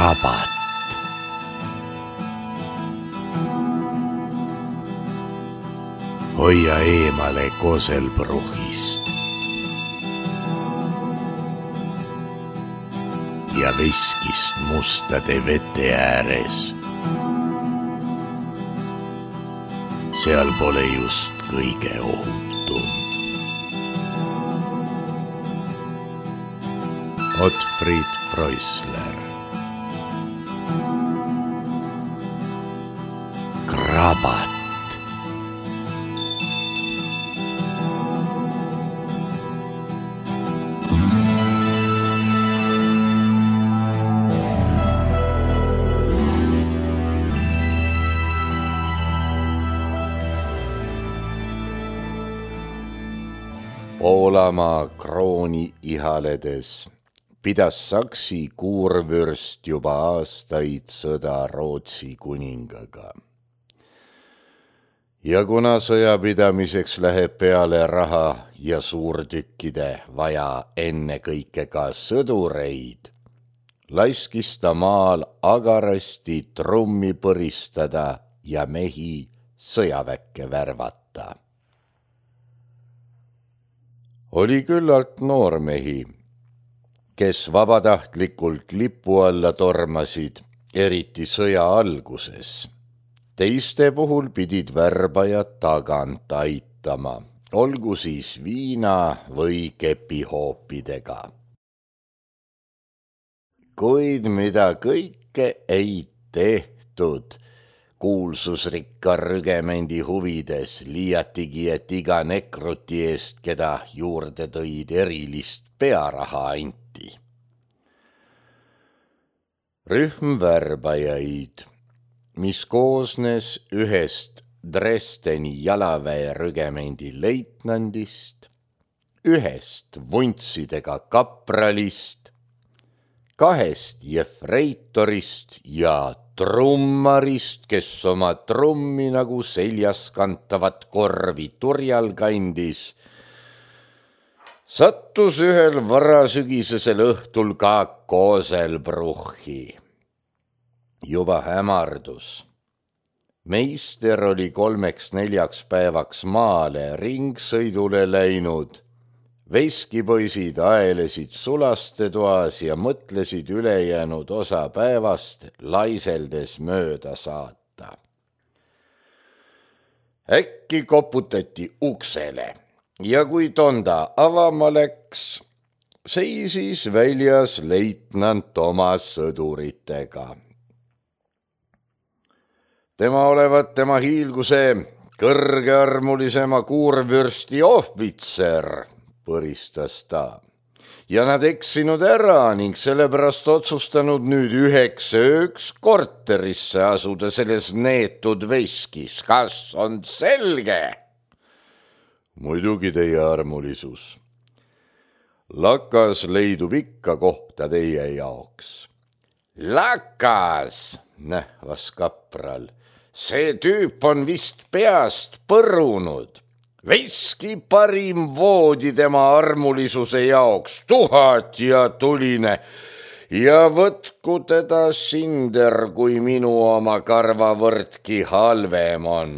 krabat. Hoia eemale koselpruhist ja veskist mustade vete ääres. Seal pole just kõige ohutum. Otfried Preussler. Krabat. Poolamaa krooni ihaledes pidas Saksi kuurvürst juba aastaid sõda Rootsi kuningaga. Ja kuna sõjapidamiseks läheb peale raha ja suurtükkide vaja enne kõike ka sõdureid, laskis ta maal agarasti trummi põristada ja mehi sõjaväkke värvata. Oli küllalt noormehi, kes vabatahtlikult lipu alla tormasid, eriti sõja alguses. Teiste puhul pidid värbajad tagant aitama, olgu siis viina või kepihoopidega. Kuid mida kõike ei tehtud, kuulsusrikka rügemendi huvides liiatigi, et iga nekruti eest, keda juurde tõid, erilist pearaha anti. Rühm värbajaid, mis koosnes ühest Dresdeni jalaväe rügemendi leitnandist, ühest vuntsidega kapralist, 2 jefreitorist ja trummarist, kes oma trummi nagu seljas kantavat korvi turjal kandis, sattus ühel varasügisesel õhtul ka Koselbruchi. Juba hämardus. Meister oli 3-4 päevaks maale ringsõidule läinud. Veskipoisid aelesid sulastetoas ja mõtlesid ülejäänud osa päevast laiseldes mööda saata. Äkki koputati uksele ja kui tonda avama läks, seisis väljas leitnant oma sõduritega. Tema olevat tema hiilguse kõrgearmulisema kuurvürsti ohvitser, põristas ta, ja nad eksinud ära ning sellepärast otsustanud nüüd 1 ööks korterisse asuda selles neetud veskis. Kas on selge? Muidugi, teie armulisus. Lakas leidub ikka kohta teie jaoks. Lakas, nähvas kapral, see tüüp on vist peast põrunud. Veski parim voodi tema armulisuse jaoks, 1000 ja tuline, ja võtku teda sinder, kui minu oma karvavõrdki halvem on.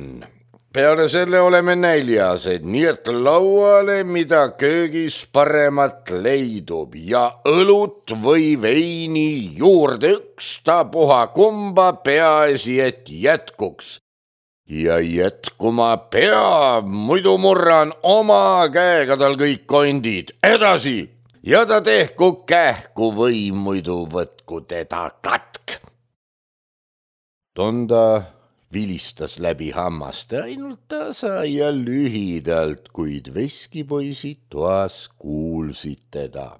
Peale selle oleme näljased, nii et lauale, mida köögis paremat leidub, ja õlut või veini juurde ükstapuha kumba, peaasi, et jätkuks. Ja jätkuma peab, muidu murran oma käega tal kõik kondid. Edasi! Ja ta tehku kähku või muidu võtku teda katk. Tonda vilistas läbi hammaste ainult tasa ja lühidalt, kuid veskipoisid toas kuulsid teda.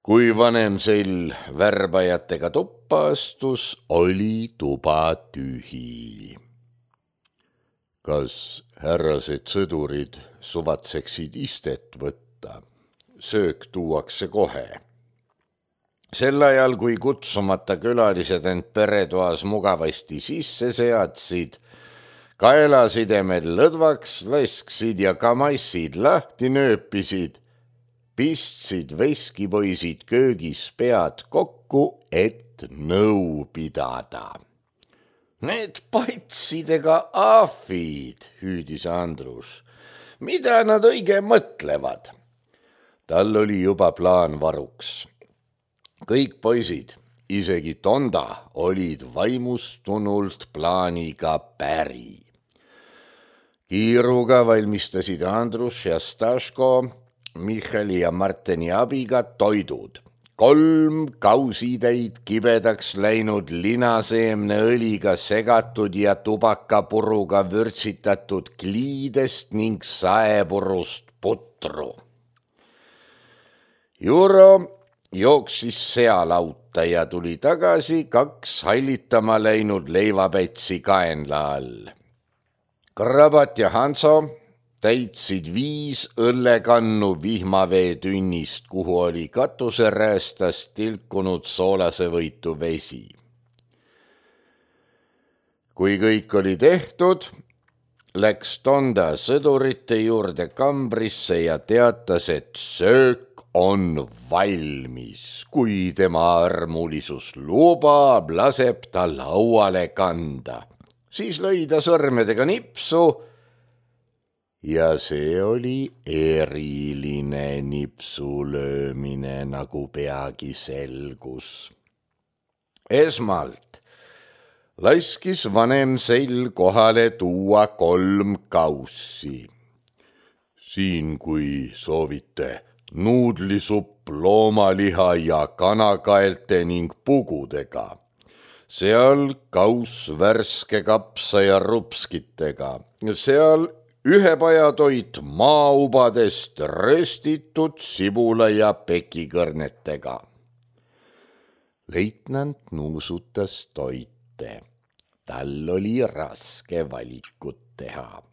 Kui vanem sel värbajatega tuppa astus, oli tuba tühi. Kas härrased sõdurid suvatseksid istet võtta? Söök tuuakse kohe. Sel ajal, kui kutsumata külalised end peretoas mugavasti sisse seadsid, kaelasidemed lõdvaks lasksid ja kamassid lahti nööpisid, pistsid veskipoisid köögis pead kokku kokku, et nõu pidada. Need patsidega ahvid, hüüdis Andrus. Mida nad õige mõtlevad? Tal oli juba plaan varuks. Kõik poisid, isegi Tonda, olid vaimustunult plaaniga päri. Kiiruga valmistasid Andrus ja Staško Michali ja Marteni abiga toidud. 3 kausitäid kibedaks läinud linaseemneõliga segatud ja tubakapuruga vürtsitatud kliidest ning saepurust putru. Juro jooksis sealauta ja tuli tagasi 2 hallitama läinud leivapätsi kaenla all. Krabat ja Hanso täitsid 5 õllekannu vihmaveetünnist, kuhu oli katuseräästast tilkunud soolasevõitu vesi. Kui kõik oli tehtud, läks Tonda sõdurite juurde kambrisse ja teatas, et söök on valmis. Kui tema armulisus lubab, laseb ta lauale kanda. Siis lõi ta sõrmedega nipsu ja see oli eriline nipsulöömine, nagu peagi selgus. Esmalt laskis vanem Sell kohale tuua 3 kaussi. Siin, kui soovite, nuudlisupp loomaliha ja kanakaelte ning pugudega. Seal kauss värske kapsa ja rupskitega. Seal ühepajatoit maaubadest röstitud sibula ja pekikõrnetega. Leitnant nuusutas toite. Tal oli raske valikut teha.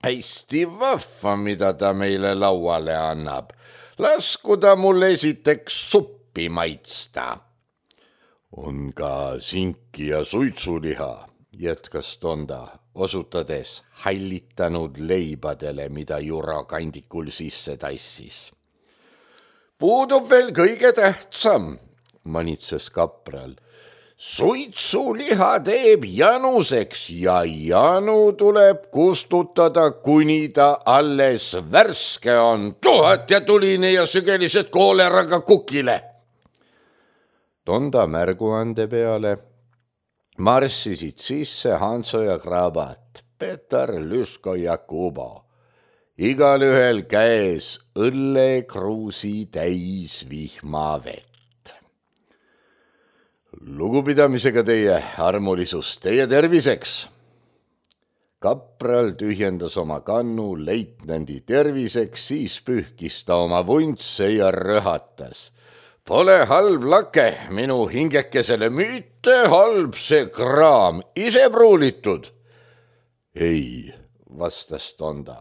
Hästi vahva, mida ta meile lauale annab. Lasku ta mul esiteks suppi maitsta. On ka sinki ja suitsuliha, jätkas Tonda, osutades hallitanud leibadele, mida Juro kandikul sisse tassis. Puudub veel kõige tähtsam, manitses kapral. Suitsuliha teeb januseks ja janu tuleb kustutada, kuni ta alles värske on. 1000 ja tuline ja sügelised kooleraga kukile. Tonda märguande peale marssisid sisse Hanso ja Krabat, Petar, Lüško ja Kubo. Igal ühel käes õllekruusi täis vihmavett. Lugupidamisega teie, armulisus, teie terviseks. Kapral tühjendas oma kannu leitnandi terviseks, siis pühkis ta oma vuntse ja röhatas. Pole halb lake minu hingekesele, mitte halb see kraam, ise pruulitud. Ei, vastas Tonda.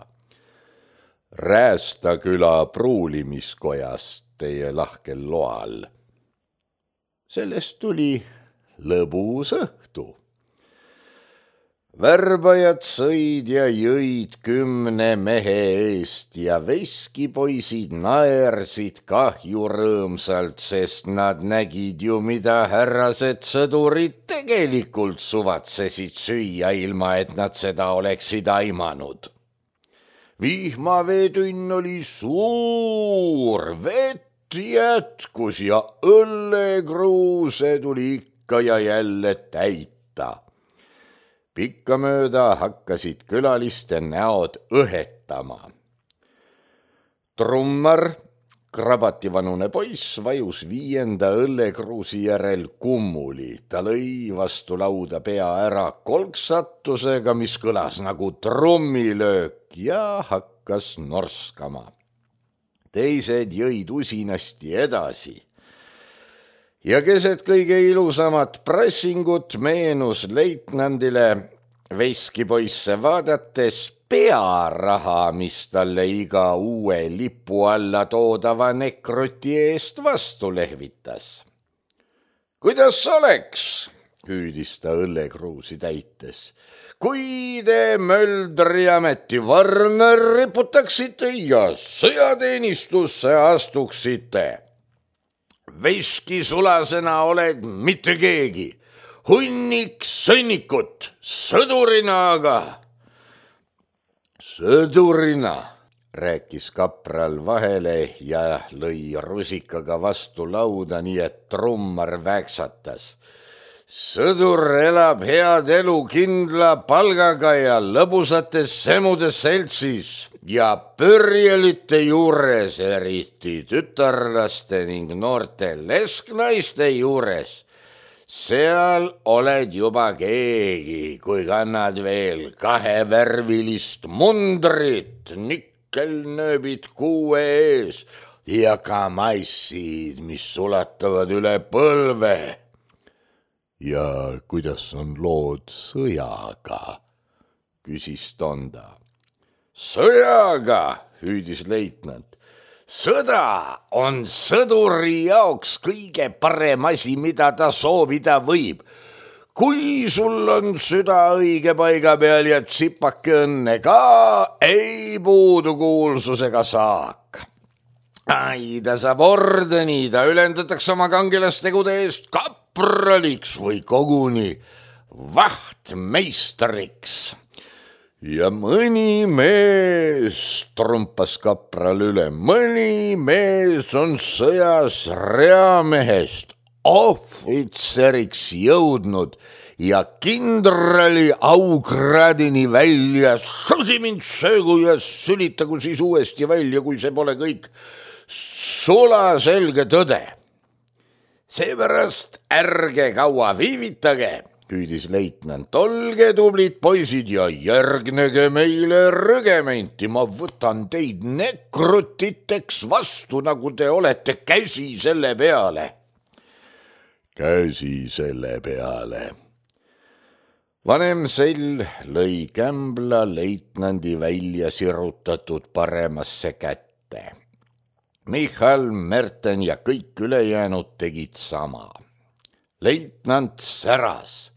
Räästaküla pruulimiskojast teie lahkel loal. Sellest tuli lõbus õhtu. Värbajad sõid ja jõid 10 mehe eest ja veskipoisid naersid kahju rõõmsalt, sest nad nägid ju, mida härrased sõdurid tegelikult suvatsesid süüa, ilma et nad seda oleksid aimanud. Vihmaveetünn oli suur, vett jätkus ja õllekruuse tuli ikka ja jälle täita. Pikkamööda hakkasid külaliste näod õhetama. Trummar, Krabati-vanune poiss, vajus 5. õllekruusi järel kummuli. Ta lõi vastu lauda pea ära kolksatusega, mis kõlas nagu trummilöök ja hakkas norskama. Teised jõid usinasti edasi. Ja keset kõige ilusamat pressingut meenus leitnandile veskipoisse vaadates pearaha, mis talle iga uue lipu alla toodava nekruti eest vastu lehvitas. Kuidas oleks, hüüdis ta õllekruusi täites, kui te Möldri ametivarne riputaksite ja sõjateenistusse astuksite? veski sulasena oled mitte keegi. Hunnik sõnnikut, sõdurina aga. Sõdurina, rääkis kapral vahele ja lõi rusikaga vastu lauda, nii et trummar väksatas. Sõdur elab head elu kindla palgaga ja lõbusates semudes seltsis ja pörjelite juures, eriti tütarlaste ning noorte lesknaiste juures. Seal oled juba keegi, kui kannad veel kahevärvilist mundrit, nikkelnööbid kuue ees ja kamassid, mis sulatavad üle põlve. Ja kuidas on lood sõjaga, küsis Tonda. Sõjaga, hüüdis leitnant. Sõda on sõduri jaoks kõige parem asi, mida ta soovida võib. Kui sul on süda õige paiga peal ja tsipake õnne ka, ei puudu kuulsusega saak. Ai, ta saab ordeni, ta ülendatakse oma kangelastegude eest kapraliks või koguni vahtmeistriks. Ja mõni mees, trumpas kapral üle, mõni mees on sõjas reamehest ohvitseriks jõudnud ja kindrali aukraadini välja. Susi mind söögu ja sülitagu siis uuesti välja, kui see pole kõik sulaselge tõde. Seepärast ärge kaua viivitage, küüdis leitnant, olge tublid poisid ja järgnege meile rügementi. Ma võtan teid nekrutiteks vastu, nagu te olete, käsi selle peale. Käsi selle peale. Vanem sell lõi kämbla leitnandi välja sirutatud paremasse kätte. Michal, Merten ja kõik ülejäänud tegid sama. Leitnant säras.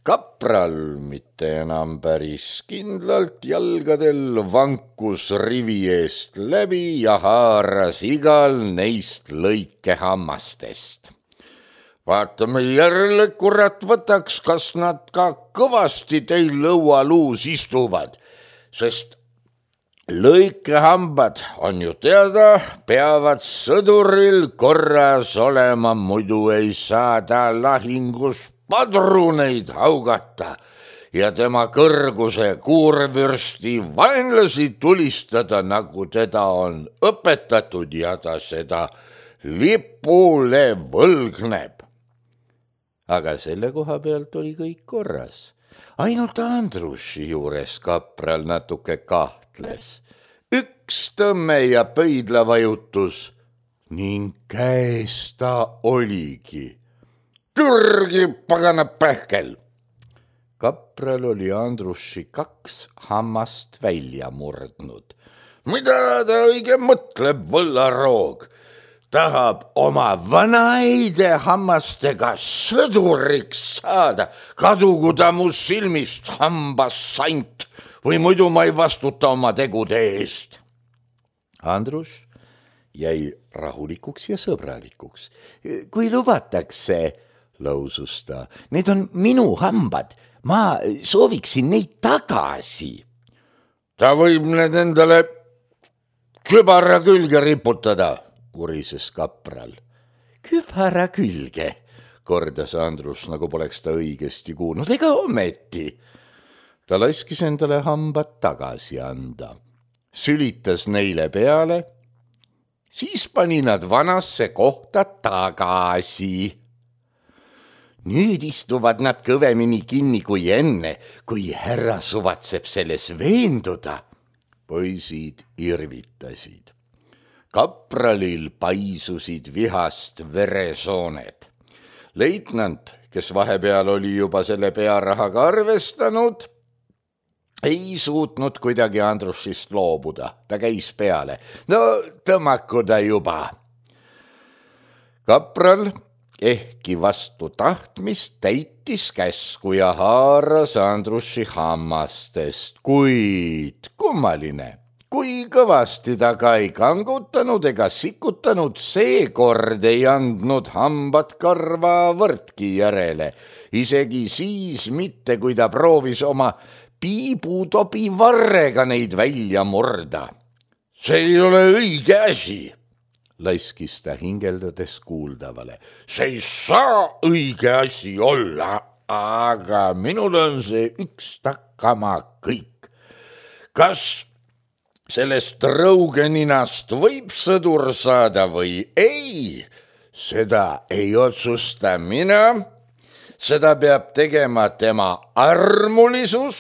Kapral mitte enam päris kindlalt jalgadel vankus rivi eest läbi ja haaras igal neist lõike hammastest. Vaatame järele, kurat võtaks, kas nad ka kõvasti teil lõualuus istuvad, sest lõikehambad on ju teada, peavad sõduril korras olema, muidu ei saa ta lahingus padruneid haugata ja tema kõrguse kuurvürsti vaenlasi tulistada, nagu teda on õpetatud ja ta seda lipule võlgneb. Aga selle koha pealt oli kõik korras. Ainult Andruši juures kapral natuke kahtles. Üks tõmme ja pöidla vajutus ning käes ta oligi. Türgi pagana pähkel. Kapral oli Andruši 2 hammast välja murdnud. Mida ta õige mõtleb, võllaroog? Tahab oma vanaide hammastega sõduriks saada. Kadugu ta mu silmist, hambassant, või muidu ma ei vastuta oma tegude eest. Andrus jäi rahulikuks ja sõbralikuks. Kui lubatakse, lausus ta, need on minu hambad, ma sooviksin neid tagasi. Ta võib need endale kübara külge riputada, kurises kapral. Kübara külge, kordas Andrus, nagu poleks ta õigesti kuulnud, ega ometi. Ta laskis endale hambad tagasi anda, sülitas neile peale, siis pani nad vanasse kohta tagasi. Nüüd istuvad nad kõvemini kinni kui enne, kui härra suvatseb selles veenduda. Poisid irvitasid. Kapralil paisusid vihast veresooned. Leitnant, kes vahepeal oli juba selle pearahaga arvestanud, ei suutnud kuidagi Andrusist loobuda. Ta käis peale. No tõmmaku ta juba. Kapral ehkki vastu tahtmist täitis käsku ja haaras Andrusi hammastest, kuid kummaline, kui kõvasti ta ka ei kangutanud ega sikutanud, seekord ei andnud hambad karva võrdki järele. Isegi siis mitte, kui ta proovis oma piibutobi varrega neid välja murda. See ei ole õige asi, laiskis ta hingeldades kuuldavale. See ei saa õige asi olla, aga minul on see ükstakkama kõik. Kas sellest rõugeninast võib sõdur saada või ei, seda ei otsusta mina, seda peab tegema tema armulisus.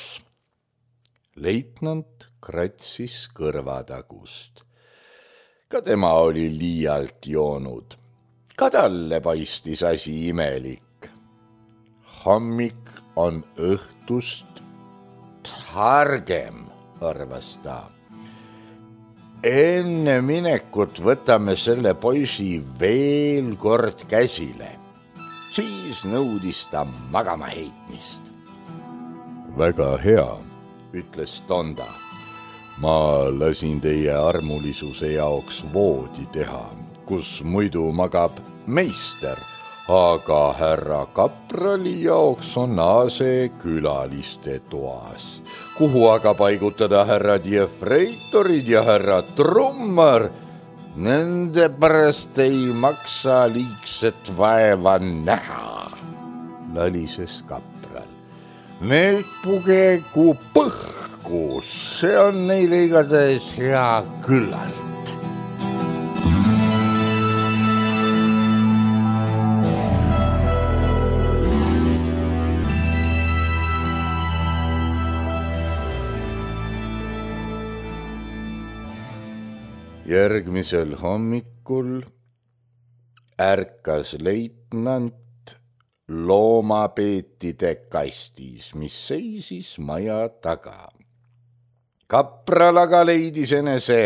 Leitnant kratsis kõrvatagust. Ka tema oli liialt joonud. Ka talle paistis asi imelik. Hommik on õhtust targem, arvas ta. Enne minekut võtame selle poisi veel kord käsile. Siis nõudis ta magama heitmist. Väga hea, ütles Tonda. Ma lasin teie armulisuse jaoks voodi teha, kus muidu magab meister, aga härra kaprali jaoks on aase külaliste toas. Kuhu aga paigutada härrad jefreitorid ja härra trummar, nende pärast ei maksa liigset vaeva näha, lalises kapral. Need pugegu põhku, see on neile igatahes hea küllalt. Järgmisel hommikul ärkas leitnant loomapeetide kastis, mis seisis maja taga. Kapral aga leidis enese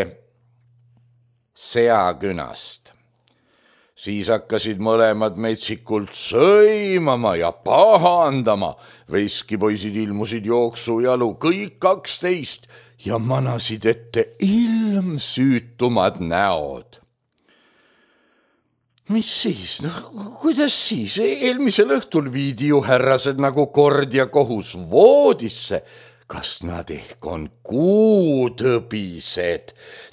seakünast. Siis hakkasid mõlemad metsikult sõimama ja pahandama. Veskipoisid ilmusid jooksujalu, kõik 12 ja manasid ette ilmsüütumad näod. Mis siis? Kuidas siis? Eelmisel õhtul viidi ju härrased nagu kord ja kohus voodisse. Kas nad ehk on kuutõbised?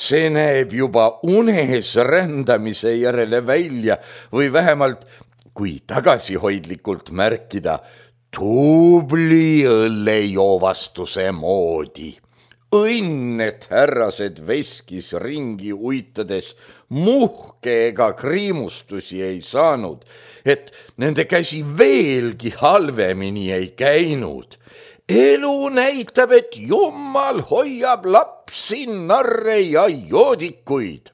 See näeb juba unes rändamise järele välja või vähemalt, kui tagasihoidlikult märkida, tubli õllejoovastuse moodi. Õnn, et härrased veskis ringi uitades muhke ega kriimustusi ei saanud, et nende käsi veelgi halvemini ei käinud. Elu näitab, et Jumal hoiab lapsi, narre ja joodikuid.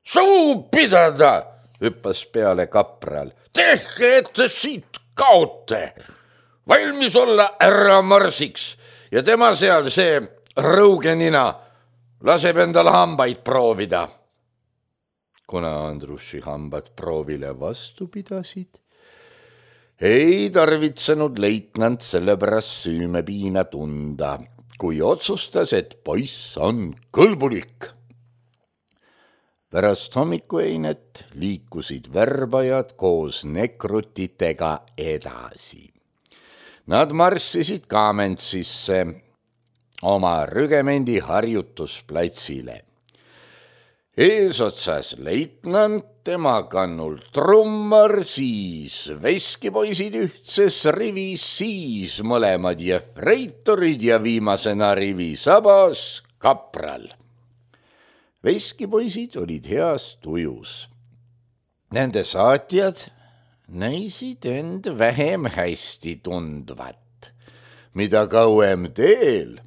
Suu pidada, hüppas peale kapral. Tehke, et te siit kaote. Valmis olla ära marsiks. Ja tema seal see rõugenina laseb endal hambaid proovida. Kuna Andruši hambad proovile vastu pidasid, ei tarvitsenud leitnant sellepärast süümepiina tunda, kui otsustas, et poiss on kõlbulik. Pärast hommikueinet liikusid värbajad koos nekrutitega edasi. Nad marssisid Kamentsisse, oma rügemendi harjutusplatsile. Eesotsas leitnant, tema kannul trummar, siis veskipoisid ühtses rivis, siis mõlemad jefreitorid ja viimasena rivi sabas kapral. Veskipoisid olid heas tujus. Nende saatjad näisid end vähem hästi tundvat. Mida kauem teel,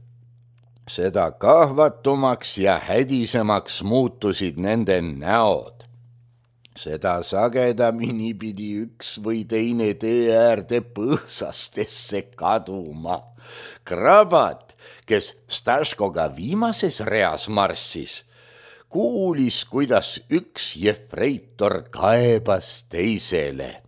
seda kahvatumaks ja hädisemaks muutusid nende näod. Seda sagedamini pidi üks või teine tee äärde põõsastesse kaduma. Krabat, kes Staškoga viimases reas marssis, kuulis, kuidas üks jefreitor kaebas teisele.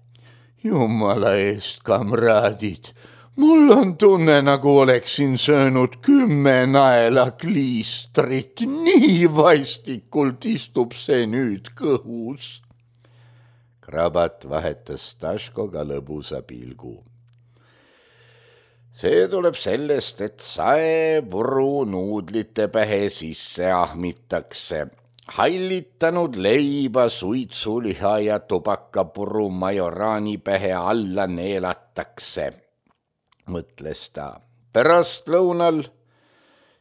Jumala eest, kamraadid, Mul on tunne, nagu oleksin söönud 10 naela kliistrit, nii vaistikult istub see nüüd kõhus. Krabat vahetas Staškoga lõbusa pilgu. See tuleb sellest, et saepuru nuudlite pähe sisse ahmitakse. Hallitanud leiba, suitsuliha ja tubakapuru majoraani pähe alla neelatakse, mõtles ta. Pärastlõunal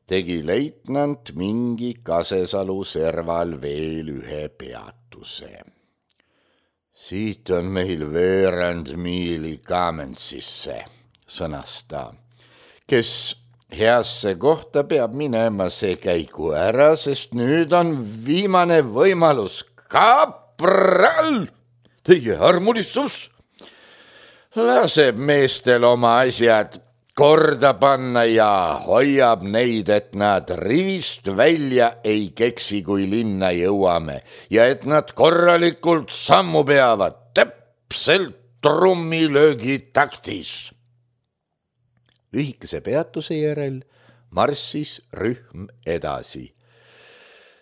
tegi leitnant mingi Kasesalu serval veel ühe peatuse. Siit on meil veerand miili Kamentsisse, sõnas ta. Kes heasse kohta peab minema, see käigu ära, sest nüüd on viimane võimalus. Kapral, teie armulissus laseb meestel oma asjad korda panna ja hoiab neid, et nad rivist välja ei keksi, kui linna jõuame ja et nad korralikult sammu peavad, täpselt trummilöögi taktis. Lühikese peatuse järel marssis rühm edasi.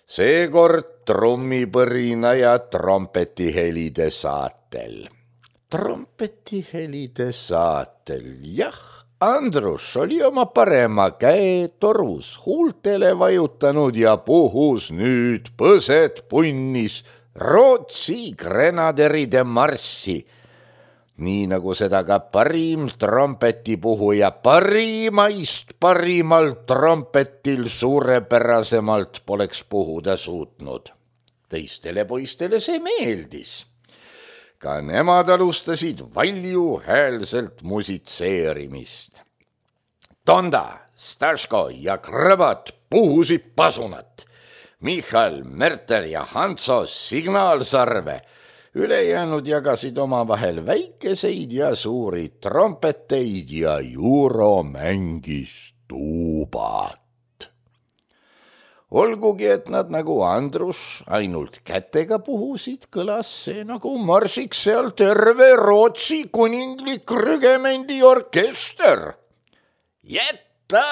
Seekord trummipõrina ja trompetihelide saatel. Trompetihelide saatel, jah, Andrus oli oma parema käe torus huultele vajutanud ja puhus nüüd põsed punnis Rootsi grenaderide marssi, nii nagu seda ka parim trompetipuhuja parimaist parimal trompetil suurepärasemalt poleks puhuda suutnud. Teistele poistele see meeldis. Ka nemad alustasid valjuhäälselt musitseerimist. Tonda, Staško ja Krabat puhusid pasunat. Michal, Mertel ja Hanso signaalsarve. Ülejäänud jagasid omavahel väikeseid ja suuri trompeteid ja Juro mängis tuubat. Olgugi, et nad nagu Andrus ainult kätega puhusid, kõlas see nagu marsiks seal terve Rootsi kuninglik rügemendi orkester. Jätta,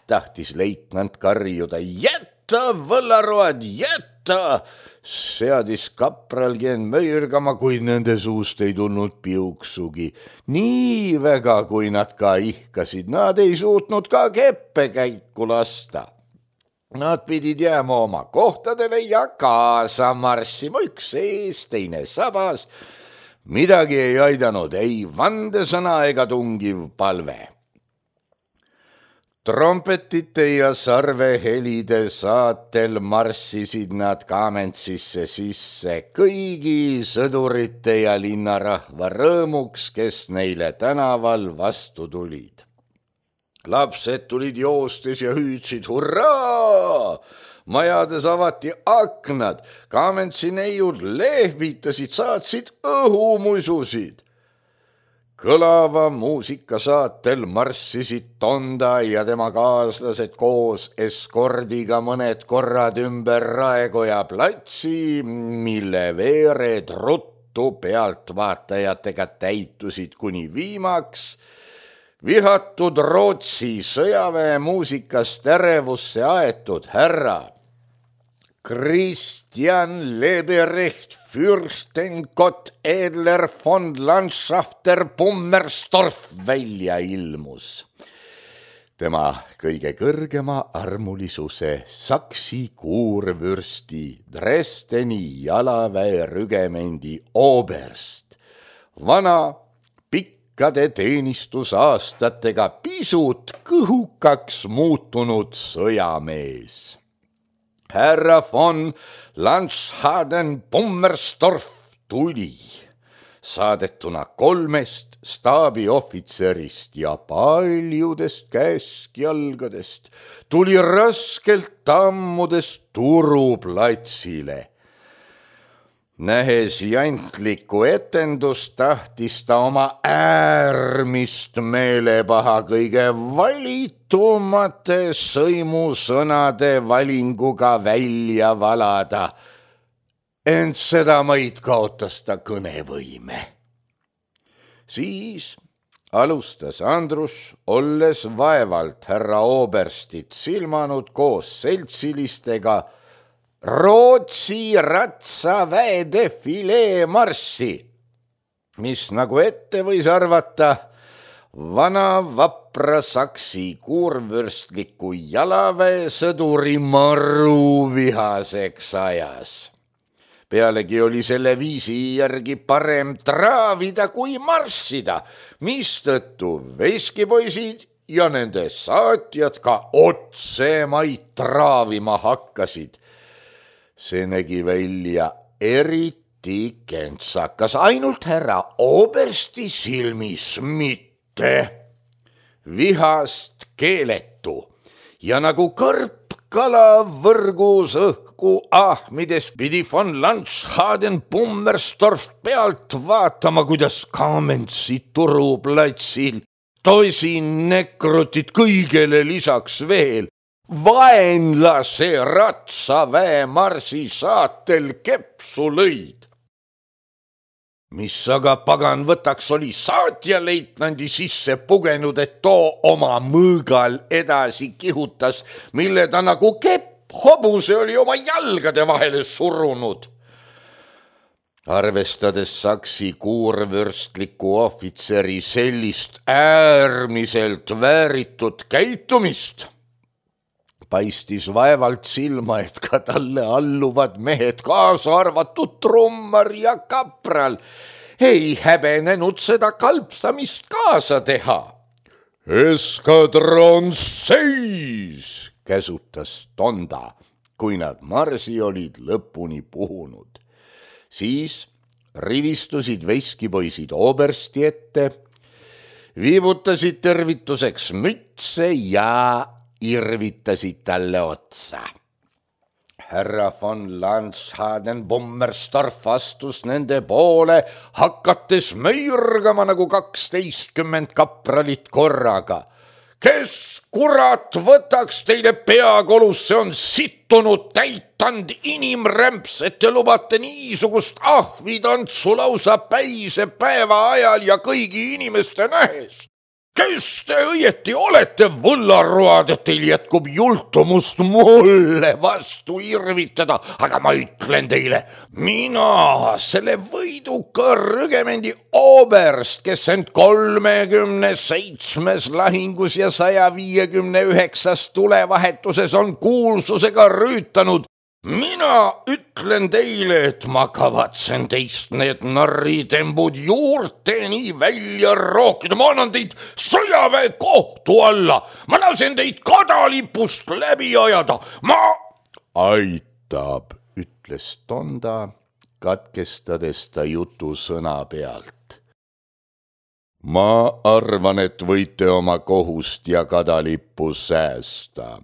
tahtis leitnant karjuda, jätta, võllaroad, jätta, seadis kapralgi end möirgama, kuid nende suust ei tulnud piuksugi. Nii väga, kui nad ka ihkasid, nad ei suutnud ka keppe käiku lasta. Nad pidid jääma oma kohtadele ja kaasa marssima, üks ees, teine sabas. Midagi ei aidanud, ei vandesõna ega tungiv palve. Trompetite ja sarvehelide saatel marssisid nad Kamentsisse sisse kõigi sõdurite ja linnarahva rõõmuks, kes neile tänaval vastu tulid. Lapsed tulid joostes ja hüüdsid hurraa! Majades avati aknad, Kamentsi neiud lehvitasid, saatsid õhumuisusid. Kõlava muusikasaatel marssisid Tonda ja tema kaaslased koos eskordiga mõned korrad ümber Raekoja platsi, mille veered ruttu pealtvaatajatega täitusid kuni viimaks. Vihatud Rootsi sõjaväe muusikast ärevusse aetud härra Christian Leberecht Fürstenkott Edler von Landschafter Pummerstorff välja ilmus. Tema kõige kõrgema armulisuse saksi kuurvürsti Dresdeni jalaväe rügemendi oberst, vana pikkade teenistusaastatega pisut kõhukaks muutunud sõjamees. Härra von Landschaden Pummerstorff tuli, saadetuna 3 staabiohvitserist ja paljudest käskjalgadest, tuli raskelt tammudest Turuplatsile. Nähes jantlikku etendust, tahtis ta oma äärmist meelepaha kõige valitumate sõimusõnade valinguga välja valada. Ent seda maid kaotas ta kõnevõime. Siis alustas Andrus, olles vaevalt härra Oberstit silmanud koos seltsilistega Rootsi ratsaväe defilee marssi, mis nagu ette võis arvata, vana vapra saksi kuurvürstliku jalaväe sõduri maru vihaseks ajas. Pealegi oli selle viisi järgi parem traavida kui marssida, mistõttu veskipoisid ja nende saatjad ka otsemaid traavima hakkasid. See nägi välja eriti kentsakas, ainult härra Obersti silmis mitte. Vihast keeletu ja nagu kõrp kala võrgus õhku ahmides pidi von Landschaden Bummerstorff pealt vaatama, kuidas Kamenzi turuplatsil tosin nekrutit kõigele lisaks veel vaenlase ratsaväe marsi saatel kepsu lõid. Mis aga pagan võtaks oli saatjaleitnandi sisse pugenud, et too oma mõõgal edasi kihutas, mille ta nagu kepp hobuse oli oma jalgade vahele surunud. Arvestades saksi kuurvürstliku ohvitseri sellist äärmiselt vääritud käitumist, paistis vaevalt silma, et ka talle alluvad mehed, kaasa arvatud trummar ja kapral, ei häbenenud seda kalpsamist kaasa teha. Eskadron seis, käsutas Tonda, kui nad marsi olid lõpuni puhunud. Siis rivistusid veskipoisid Obersti ette, viibutasid tervituseks mütse ja irvitasid talle otsa. Härra von Landschaden Bummerstorff astus nende poole, hakates möirgama nagu 12 kapralit korraga. Kes kurat võtaks teile peakolus, see on sittunud täitand inimrämps, et te lubate niisugust ahvitantsu lausa päise päeva ajal ja kõigi inimeste nähes. Kes te õieti olete võllaroad, et teil jätkub jultumust mulle vastu irvitada, aga ma ütlen teile, mina, selle võiduka rügemendi oberst, kes end 37 lahingus ja 159 tulevahetuses on kuulsusega rüütanud, mina ütlen teile, et ma kavatsen teist need narritembud juurteni välja rookida. Ma annan teid sõjaväe kohtu alla. Ma lasen teid kadalipust läbi ajada. Ma aitab, ütles Tonda, katkestades ta jutu sõna pealt. Ma arvan, et võite oma kohust ja kadalippu säästa.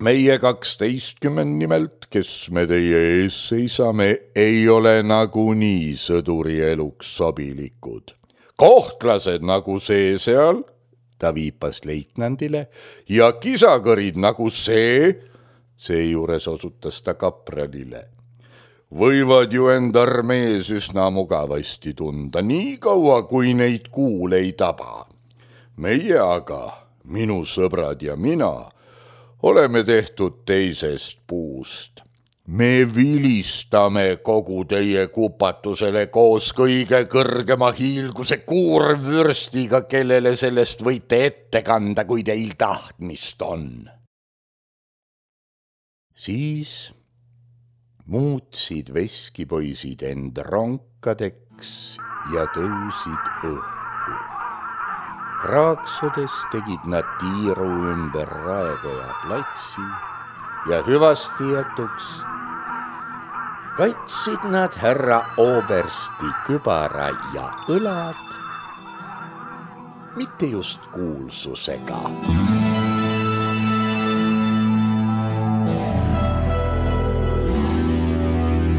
Meie 12 nimelt, kes me teie ees seisame, ei ole nagunii sõduri eluks sobilikud. Kohtlased nagu see seal, ta viipas leitnandile, ja kisakõrid nagu seejuures osutas ta kapralile, võivad ju end armees üsna mugavasti tunda, nii kaua kui neid kuul ei taba. Meie aga, minu sõbrad ja mina, oleme tehtud teisest puust. Me vilistame kogu teie kupatusele koos kõige kõrgema hiilguse kuurvürstiga, kellele sellest võite ette kanda, kui teil tahtmist on. Siis muutsid veskipoisid end ronkadeks ja tõusid õhku. Kraaksudes tegid nad tiiru ümber Raekoja platsi ja hüvasti jätuks katsid nad härra Obersti kübara ja õlad, mitte just kuulsusega.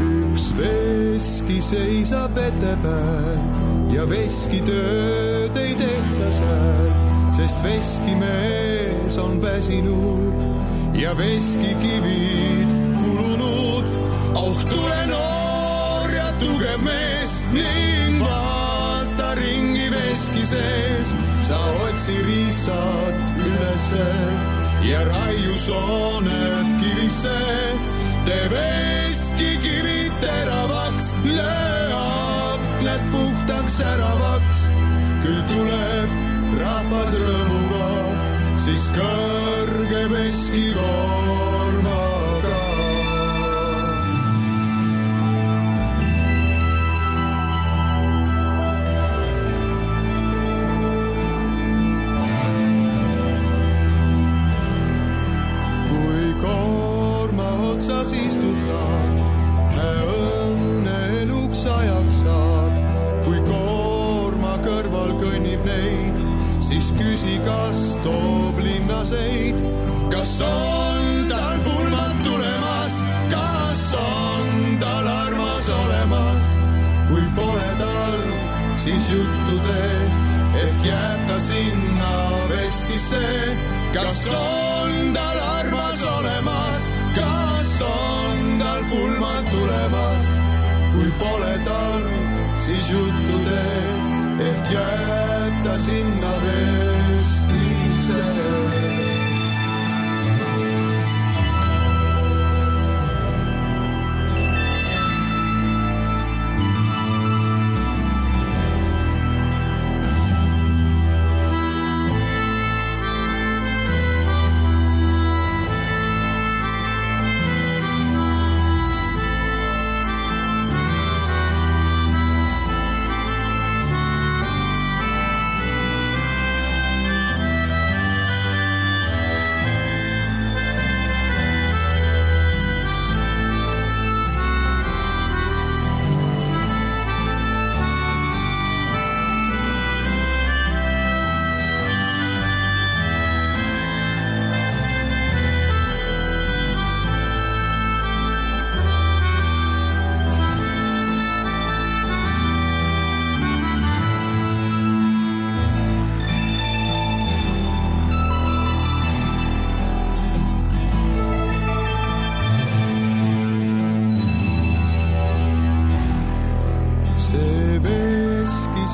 Üks veski seisab vete peal ja veskitööd ei tehta seal, sest veskimees on väsinud ja veskikivid kulunud. Oh, tule noor ja tugev mees ning vaata ringi veski sees, sa otsi riistad ülesse ja raiu sooned kivisse. Tee veskikivid teravaks, löö aknad puhtaks säravaks. Küll tuleb rahvas rõõmuga, siis kõrge veskikoormaga. Kui koorma otsas istutad, õnne eluks ajaks saad. Kui koorma kõrval kõnnib neid, siis küsi, kas toob linnaseid. Kas on tal pulmad tulemas, kas on tal armas olemas. Kui pole tal, siis juttu tee, ehk jääb ta sinna veskisse. Kas on tal armas olemas, kas on tal pulmad tulemas. Kui pole tal, siis juttu tee, ehk jääb ta sinna veskisse.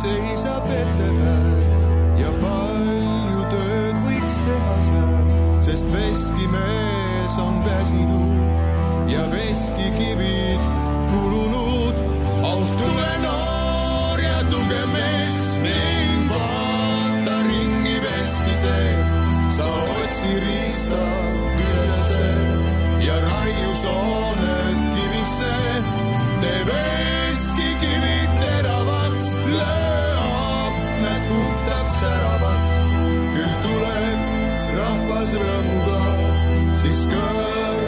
Seisab vete peal ja palju tööd võiks teha seal, sest veskimees on väsinud ja veskikivid kulunud. Oh, tule noor ja tugev mees ning vaata ringi veski sees. Sa otsi riista ülesse ja raiu sooned kivisse. Tee veskikivid teravaks, puhtaks säravaks. Küll tuleb rahvas rõõmuga, siis kõrge